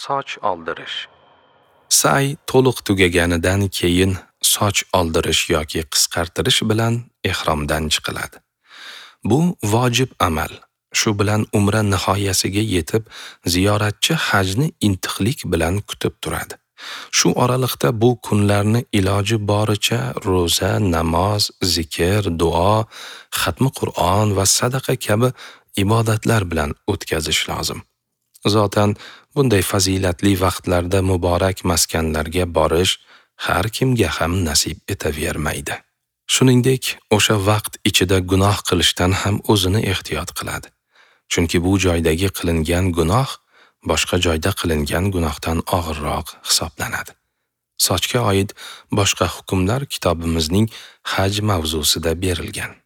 Soch oldirish. Sa'y to'liq tugaganidan keyin soch oldirish yoki qisqartirish bilan ehromdan chiqiladi. Bu vojib amal. Shu bilan umra nihoyasiga yetib, ziyoratchi hajni intiqlik bilan kutib turadi. Shu oraliqda bu kunlarni iloji boricha ro'za, namoz, zikr, duo, xatmi Qur'on va sadaqa kabi ibodatlar bilan o'tkazish lozim. Zotan bunday fazilatli vaqtlarda muborak maskanlarga borish har kimga ham nasib etavermaydi. Shuningdek, o'sha vaqt ichida gunoh qilishdan ham o'zini ehtiyot qiladi. Chunki bu joydagi qilingan gunoh boshqa joyda qilingan gunohdan og'irroq hisoblanadi. Sochga oid boshqa hukmlar kitobimizning haj mavzusida berilgan.